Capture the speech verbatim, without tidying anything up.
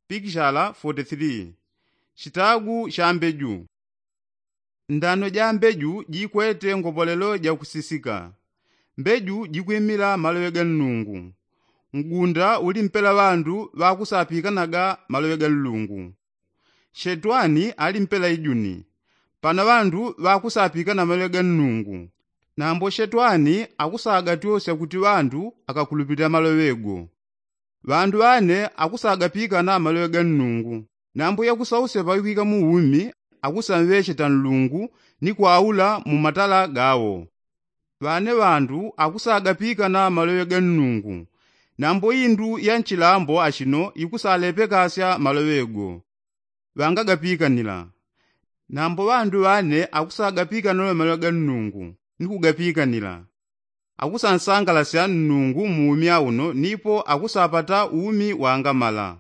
Pikishala forty three. Chitagu cha mbeju. Ndano ja mbeju jikwete ngopolelo ja kusisika. Mbeju jikwimila maloŵe ga nnungu. Mgunda uli mpela ŵandu ŵakusapikanaga maloŵe ga nnungu. Shetwani ali mpela ijuni. Pana ŵandu ŵakusapikana maloŵe ga nnungu. Nambo shetwani akusagatwosya kuti ŵandu akakulupilila maloŵe go. Ŵandu ŵane akusagapikana maloŵe ga nnungu. Nambo yakusausya pakwika mu umi akusamŵecheta nnungu ni kwaula mu matala gawo. Ŵane ŵandu akusagapikana maloŵe ga nnungu. Nambo indu ya nchilambo achino ikusalepekasya maloŵe go. Ŵangagapikanila. Nambo ŵandu ŵane akusagapikana maloŵe ga nnungu ni kugapikanila. Akusansangalasya nnungu mu umi auno nipo akusapata umi wangamala.